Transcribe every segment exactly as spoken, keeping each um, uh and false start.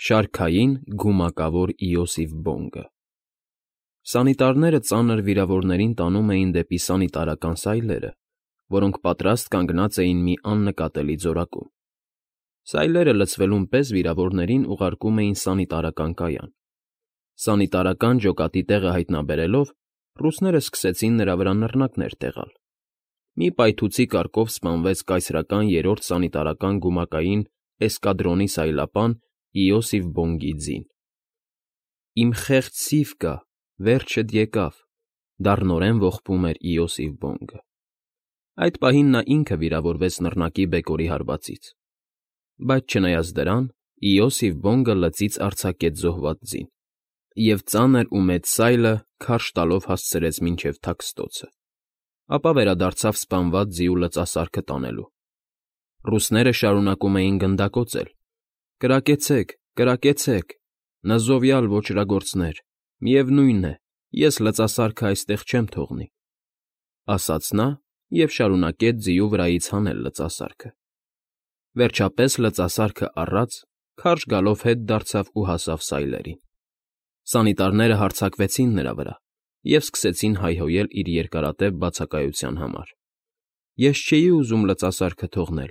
Շարքային գումակավոր Իոսիֆ Բոնգը Սանիտարները ծանր վիրավորներին տանում էին դեպի սանիտարական սայլերը, որոնք պատրաստ կանգնած էին մի աննկատելի ձորակում։ Սայլերը լցվելուն պես վիրավորներին ուղարկում էին սանիտարական կայան։ Սանիտարական ջոկատի տեղը հայտնաբերելով, ռուսները սկսեցին նրա վրա նռնակներ տեղալ։ Մի պայթուցի կարգով սպանվեց կայսրական երրորդ սանիտարական գումակային էսկադրոնի սայլապան Իոսիֆ Բոնգի ձին։ «Իմ խեղճ Սիվկա, վերջդ եկավ», դառնորեն ողբում էր Իոսիֆ Բոնգը։ Այդ պահին նա ինքը վիրավորվեց նռնակի բեկորի հարվածից։ Բայց չնայած դրան, Իոսիֆ Բոնգը լծից արձակեց զոհված ձին, և ծանր ու մեծ սայլը քարշ տալով հասցրեց մինչև թաքստոցը, ապա վերադարձավ սպանված ձիու լծասարքը տանելու։ Ռուսները շարունակում էին գնդակոծել. «Կրակեցեք, կրակեցեք, նզովյալ ոճրագործներ, միևնույն է, ես լծասարքը այստեղ չեմ թողնի», ասաց նա և շարունակեց ձիու վրայից հանել լծասարքը։ Վերջապես լծասարքը առած, քարշ գալով հետ դարձավ ու հասավ սայլերին։ Սանիտարները հարձակվեցին նրա վրա և սկսեցին հայհոյել իր երկարատև բացակայության համար։ «Ես չէի ուզում լծասարքը թողնել,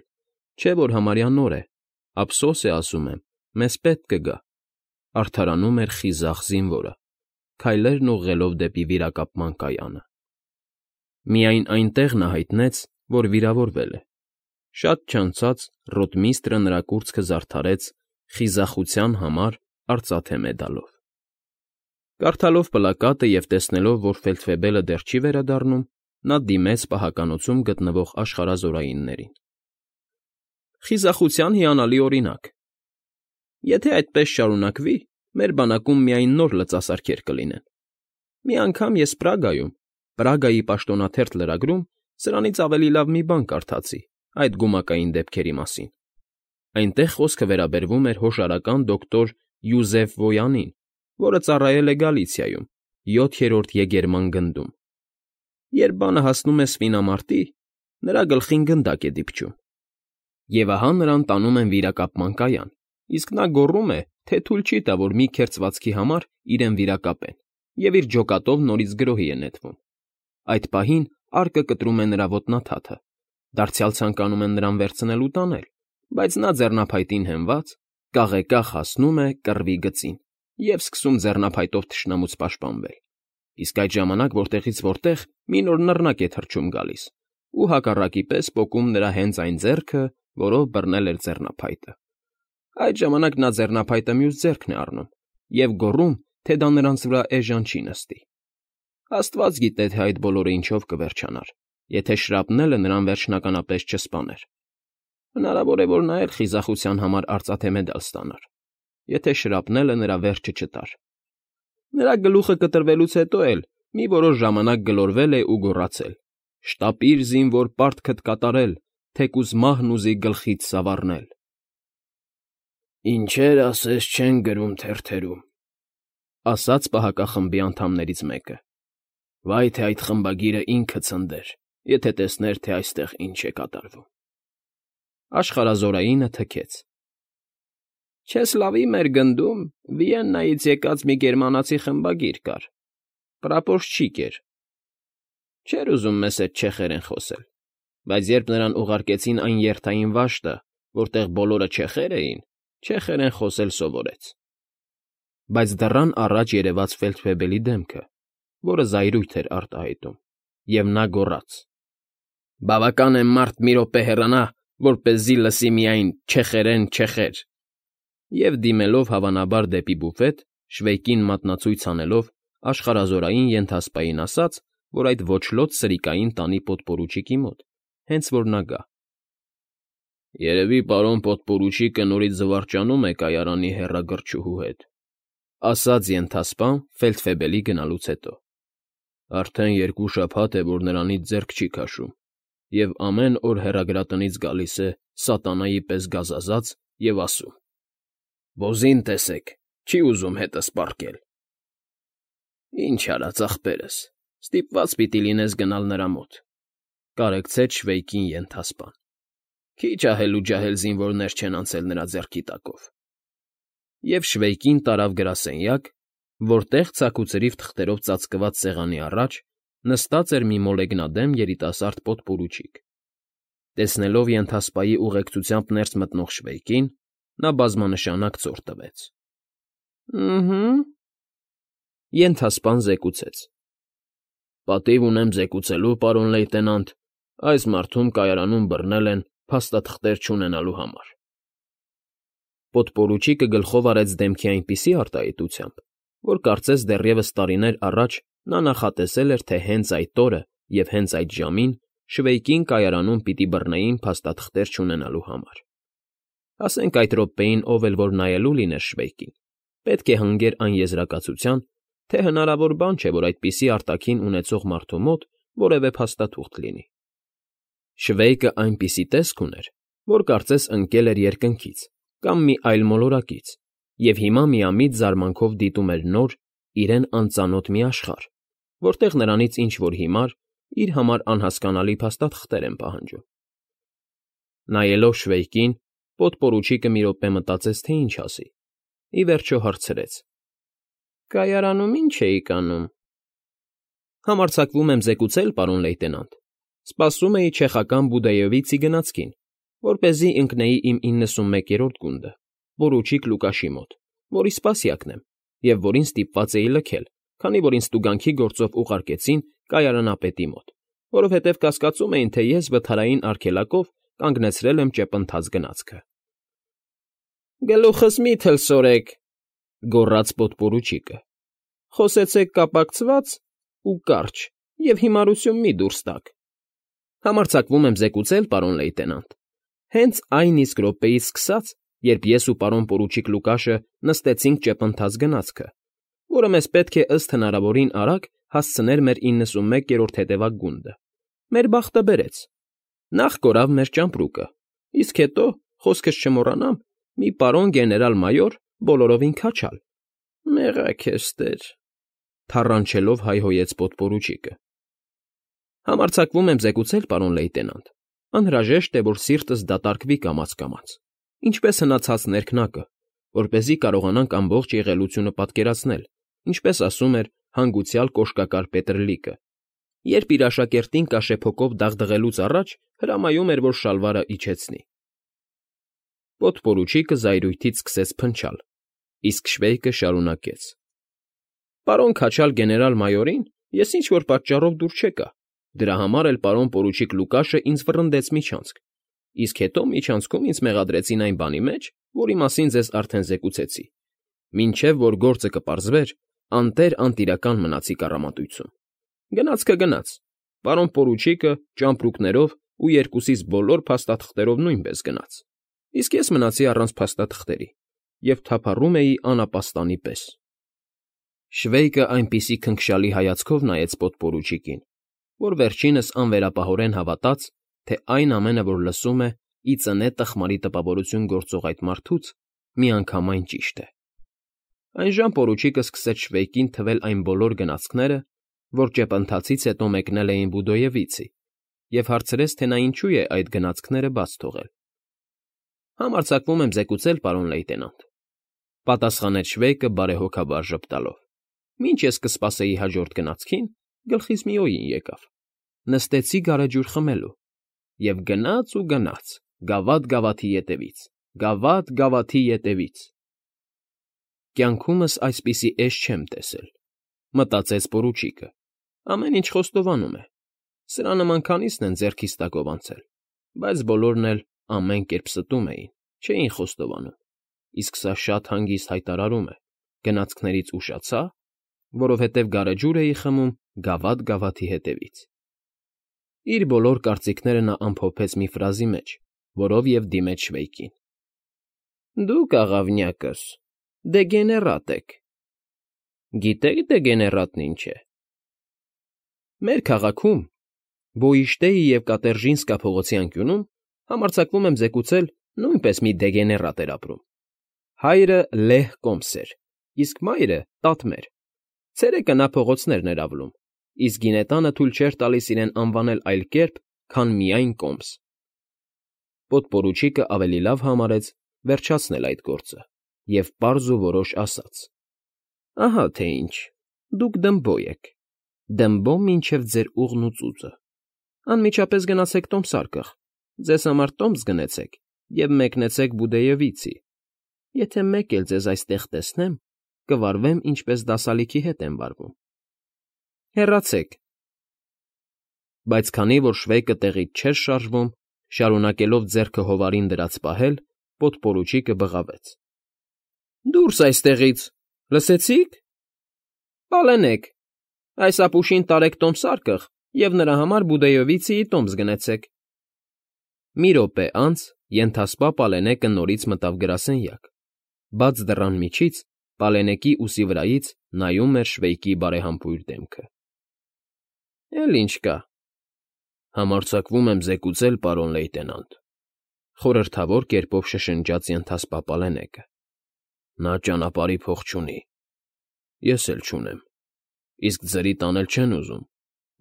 չէ՞ որ համարյա նոր է, ափսոս է, ասում եմ, մեզ պետք կգա», արդարանում էր խիզախ զինվորը, քայլերն ուղղելով դեպի վիրակապման կայանը։ Միայն այնտեղ նա հայտնեց, որ վիրավորվել է։ Շատ չանցած ռոտմիստրը նրա կուրծքը զարդարեց «Խիզախության համար» արծաթե մեդալով։ Կարդալով պլակատը և տեսնելով, որ ֆելդֆեբելը դեռ չի վերադառնում, նա դիմեց պահականոցում գտնվող աշխարհազորայիններին։ «Խիզախության հիանալի օրինակ։ Եթե այդպես շարունակվի, մեր բանակում միայն նոր լծասարքեր կլինեն։ Մի անգամ ես Պրագայում, Պրագայի պաշտոնաթերթ լրագրում սրանից ավելի լավ մի բան կարդացի այդ գումակային դեպքերի մասին։ Այնտեղ խոսքը վերաբերվում էր հոշարական դոկտոր Յուզեֆ Վոյանին, որը ծառայել է Գալիցիայում, յոթերորդ եգերման գնդում։ Երբ բանը հասնում է սպինամարտի, նրա գլխին գնդակ է դիպչում։ Եվ ահա նրան տանում են վիրակապման կայան, իսկ նա գոռում է, թե թույլ չի տա, որ մի քերծվածքի համար իրեն վիրակապեն, և իր ջոկատով նորից գրոհի է նետվում։ Այդ պահին արկը կտրում է նրա ոտնաթաթը, դարձյալ ցանկանում են նրան վերցնել ու տանել, բայց նա ձեռնափայտին հենված, կաղեկաղ հասնում է կռվի գծին և սկսում ձեռնափայտով թշնամուց պաշտպանվել։ Իսկ այդ ժամանակ որտեղից որտեղ մի նոր նռնակ է թռչում գալիս ու հակառակի պես պոկում նրա հենց այն ձեռքը, որով բռնել էր ձեռնափայտը։ Այդ ժամանակ նա ձեռնափայտը մյուս ձեռքն է առնում և գոռում, թե դա նրանց վրա էժան չի նստի։ Աստված գիտե, թե այդ բոլորը ինչով կվերջանար, եթե շրապնելը նրան վերջնականապես չսպաներ։ Հնարավոր է, որ նա էլ խիզախության համար արծաթե մեդալ ստանար, եթե շրապնելը նրա վերջը չտար։ Նրա գլուխը կտրվելուց հետո էլ մի որոշ ժամանակ գլորվել է ու գոռացել. «Շտապիր, զինվոր, պարտքդ կատարել, թեկուզ մահն ուզի գլխիդ սավառնել»։ «Ինչեր ասես չեն գրում թերթերում», ասաց պահակախմբի անդամներից մեկը։ «Վայ թե այդ խմբագիրը ինքը ցնդեր, եթե տեսներ, թե այստեղ ինչ է կատարվում»։ Աշխարհազորայինը թքեց։ «Չեսլավի մեր գնդում Վիեննայից եկած մի գերմանացի խմբագիր կար, պրապորշչիկ էր։ Չէր ուզում մեզ հետ չեխերեն խոսել, բայց երբ նրան ուղարկեցին այն երթային վաշտը, որտեղ բոլորը չեխեր էին, չեխերեն խոսել սովորեց»։ Բայց դռան առաջ երևաց ֆելդֆեբելի դեմքը, որը զայրույթ էր արտահայտում, և նա գոռաց. «Բավական է մարդ մի րոպե հեռանա, որպեսզի լսի միայն չեխերեն չեխեր», և դիմելով հավանաբար դեպի բուֆետ, շվեյկին մատնացույց անելով, աշխարհազորային ենթասպային ասաց, որ այդ ոչլոտ սրիկային տանի պոդպորուչիկի մոտ, հենց որ նա գա։ «Երևի պարոն պոդպորուչիկը նորից զվարճանում է կայարանի հեռագրչուհու հետ», ասաց ենթասպան ֆելդֆեբելի գնալուց հետո։ «Արդեն երկու շաբաթ է, որ նրանից ձեռք չի քաշում, և ամեն օր հեռագրատնից գալիս է սատանայի պես գազազած և ասում. «Ոզին տեսեք, չի ուզում հետս պառկել»։ «Ինչ արած, ախպերս, ստիպված պիտի լինես գնալ նրա մոտ», կարեկցեց շվեյկին ենթասպան։ «Քիչ ահել ու ջահել զինվորներ չեն անցել նրա ձեռքի տակով»։ և շվեյկին տարավ գրասենյակ, որտեղ ցաքուցրիվ թղթերով ծածկված սեղանի առաջ նստած էր մի մոլեգնադեմ երիտասարդ պոդպորուչիկ։ Տեսնելով ենթասպայի ուղեկցությամբ ներս մտնող շվեյկին, նա բազմանշանակ ծոր տվեց։ ֊ Ըհը՛… Ենթասպան զեկուցեց։ ֊ Պատիվ ունեմ զեկուցելու, պարոն լեյտենանտ, այս մարդուն կայարանում բռնել են փաստաթղթեր չունենալու համար… Պոդպորուչիկը գլխով արեց դեմքի այնպիսի արտահայտությամբ, որ կարծես դեռևս տարիներ առաջ նա նախատեսել էր, թե հենց այդ օրը և հենց այդ ժամին շվեյկին կայարանում պիտի բռնեին փաստաթղթեր չունենալու համար… Ասենք այդ րոպեին ով էլ որ նայելու լիներ շվեյկին, պետք է հանգեր այն եզրակացության, թե հնարավոր բան չէ, որ այդպիսի արտաքին ունեցող մարդու մոտ որևէ փաստաթուղթ լինի… Շվեյկը այնպիսի տեսք ուներ, որ կարծես ընկել էր երկնքից կամ մի այլ մոլորակից և հիմա միամիտ զարմանքով դիտում էր նոր, իրեն անծանոթ մի աշխարհ, որտեղ նրանից ինչ֊որ հիմար, իր համար անհասկանալի փաստաթղթեր են պահանջում… Նայելով շվեյկին, պոդպորուչիկը մի րոպե մտածեց, թե ինչ ասի, ի վերջո հարցրեց. ֊ Կայարանում ի՞նչ էիք անում։ ֊ Համարձակվում եմ զեկուցել, պարոն լեյտենանտ, սպասում էի չեխական Բուդեյովիցի գնացքին, որպեսզի ընկնեի իմ իննսունմեկերորդ գունդը, պորուչիկ Լուկաշի մոտ, որի սպասյակն եմ և որին ստիպված էի լքել, քանի որ ինձ տուգանքի գործով ուղարկեցին կայարանապետի մոտ, որովհետև կասկածում էին, թե ես վթարային արգելակով կանգնեցրել եմ ճեպընթաց գնացքը։ ֊ Գլուխս մի՛ թլսորեք,֊ գոռաց պոդպորուչիկը,֊ խոսեցեք կապակցված ու կարճ և հիմարություն մի՛ դուրս տաք։ ֊ Համարձակվում եմ զեկուցել, պարոն լեյտենանտ, հենց այն իսկ րոպեից սկսած, երբ ես ու պարոն պորուչիկ Լուկաշը նստեցինք ճեպընթաց գնացքը, որը մեզ պետք է ըստ հնարավորին արագ հասցներ մեր իննսունմեկերորդ հետևակ գունդը, մեր բախտը բերեց. նախ կորավ մեր ճամպրուկը, իսկ հետո, խոսքս չմոռանամ, մի պարոն գեներալ֊մայոր բոլորովին քաչալ… ֊ Մեղա քեզ տեր,֊ թառանչելով հայհոյեց պոդպորուչիկը։ ֊ Համարձակվում եմ զեկուցել, պարոն լեյտենանտ, անհրաժեշտ է, որ սիրտս դատարկվի կամաց֊կամաց, ինչպես հնացած ներքնակը, որպեսզի կարողանանք ամբողջ եղելությունը պատկերացնել, ինչպես ասում էր հանգուցյալ կոշկակար Պետրլիկը, երբ իր աշակերտին կաշեփոկով դաղդղելուց առաջ հրամայում էր, որ շալվարը իջեցնի… Պոդպորուչիկը զայրույթից սկսեց փնչալ, իսկ շվեյկը շարունակեց. ֊ Պարոն քաչալ գեներալ֊մայորին ես ինչ֊որ պատճառով դուր չեկա, դրա համար էլ պարոն պորուչիկ Լուկաշը ինձ վռնդեց միջանցք, իսկ հետո միջանցքում ինձ մեղադրեցին այն բանի մեջ, որի մասին ձեզ արդեն զեկուցեցի, մինչև որ գործը կպարզվեր, անտեր֊անտիրական մնացի կառամատույցում… Գնացքը գնաց, պարոն պորուչիկը ճամպրուկներով ու երկուսիս բոլոր փաստաթղթերով նույնպես գնաց, իսկ ես մնացի առանց փաստաթղթերի և թափառում էի անապաստանի պես… Շվեյկը այնպիսի քնքշալի հայացքով նայեց պոդպորուչիկին, որ վերջինս անվերապահորեն հավատաց, թե այն ամենը, որ լսում է, ի ծնե տխմարի տպավորություն գործող այդ մարդուց, միանգամայն ճիշտ է… Այնժամ պորուչիկը սկսեց շվեյկին թվել այն բոլոր գնացքները, որ ճեպընթացից հետո մեկնել էին Բուդոյևիցի, և հարցրեց, թե նա ինչու է այդ գնացքները բաց թողել։ ֊ Համարձակվում եմ զեկուցել, պարոն լեյտենանտ,֊ պատասխանեց շվեյկը բարեհոգաբար ժպտալով,֊ մինչ ես կսպասեի հաջորդ գնացքին, գլխիս մի օր եկավ. նստեցի գարեջուր խմելու… և գնաց ու գնաց, գավաթ֊գավաթի ետևից, գավաթ֊գավաթի ետևից… Կյանքումս այսպիսի էջ չեմ տեսել,֊ մտածեց պորուչիկը,֊ ամեն ինչ խոստովանում է… Սրա նման քանիսն են ձեռքիս տակով անցել, բայց բոլորն էլ ամեն կերպ ստում էին, չէին խոստովանում, իսկ սա շատ հանգիստ հայտարարում է. գնացքներից ուշացա, որովհետև գարեջուր էի խմում գավաթ֊գավաթի հետևից… Իր բոլոր կարծիքները նա ամփոփեց մի ֆրազի մեջ, որով և դիմեց շվեյկին. ֊ Դուք, աղավնյակս, դեգեներատ եք… Գիտե՞ք դեգեներատն ինչ է… Մեր քաղաքում, Բոիշտեի և Կատերժինսկա փողոցի անկյունում, համարձակվում եմ զեկուցել, նույնպես մի դեգեներատ էր ապրում… Հայրը լեհ կոմս էր, իսկ մայրը տատմեր… Ցերեկը նա փողոցներն էր ավլում, իսկ գինետանը թույլ չէր տալիս իրեն անվանել այլ կերպ, քան միայն կոմս… Պոդպորուչիկը ավելի լավ համարեց վերջացնել այդ գործը և պարզ ու որոշ ասաց. «Ահա թե ինչ, դուք Դմբո եք, Դմբո մինչև ձեր ուղն ու ծուծը, անմիջապես գնացեք տոմսարկղ, ձեզ համար տոմս գնեցեք և մեկնեցեք Բուդեովիցի, եթե մեկ էլ ձեզ այստեղ տեսնեմ, կվարվեմ, ինչպես դասալիքի հետ եմ վարվում, հեռացեք»։ Բայց քանի որ Շվեյկը տեղից չէր շարժվում, շարունակելով ձեռքը հովարին դրած պահել, պոդպորուչիկը բղավեց. «Դուրս այստեղից, լսեցի՞ք։ Պալենեք, այս ապուշին տարեք տոմսարկղ և նրա համար Բուդեովիցիի տոմս գնեցեք»։ Մի րոպե անց ենթասպա Պալենեկը նորից մտավ գրասենյակ, բաց դռան միջից Պալենեկի ուսի վրայից նայում էր Շվեյկի բարեհամբույր դեմքը։ ֊ Էլ ինչ կա։ Համարձակվում եմ զեկուցել, պարոն լեյտենանտ,֊ խորհրդավոր կերպով շշնջաց ենթասպա Պալենեկը,֊ նա ճանապարհի փող չունի, ես էլ չունեմ, իսկ ձրի տանել չեն ուզում,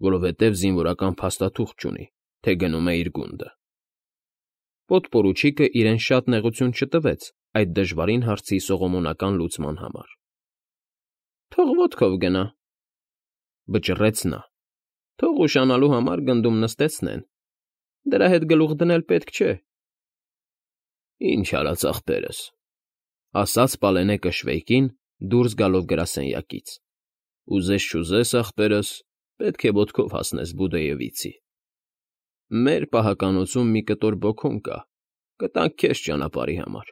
որովհետև զինվորական փաստաթուղթ չունի, թե գնում է իր գունդը։ Պոդպորուչիկը իրեն շատ նեղություն չտվեց այդ դժվարին հարցի սողոմոնական լուծման համար։ ֊ Թող ոտքով գնա,֊ վճռեց նա,֊ թող ուշանալու համար գնդում նստեցնեն, դրա հետ գլուխ դնել պետք չէ։ ֊ Ինչ արած ախպերս,֊ ասաց Պալենեկը Շվեյկին, դուրս գալով գրասենյակից,֊ ուզես֊չուզես, ախպերս, պետք է ոտքով հասնես Բուդեովիցի։ Մեր պահականոցում մի կտոր բոքուն կա, կտանք քեզ ճանապարհի համար։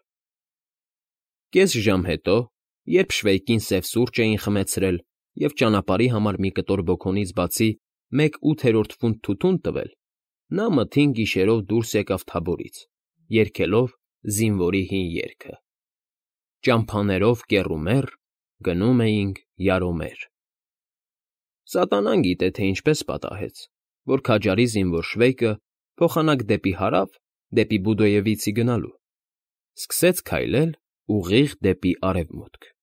Կես ժամ հետո, երբ Շվեյկին սև սուրճ էին խմեցրել և ճանապարհի համար մի կտոր բոքոնից բացի մեկ ութերորդ ֆունտ թութուն տվել, նա մթին գիշերով դուրս եկավ թագավորից, երգելով զինվորի հին երգը. Ճամփաներով կեռումեռ գնում էինք յարոմեր։ Սատանան գիտե, թե ինչպես պատահեց, որ քաջարի զինվոր Շվեյկը փոխանակ դեպի հարավ, դեպի Բուդեովիցի գնալու, սկսեց քայլել ուղիղ դեպի արևմուտք։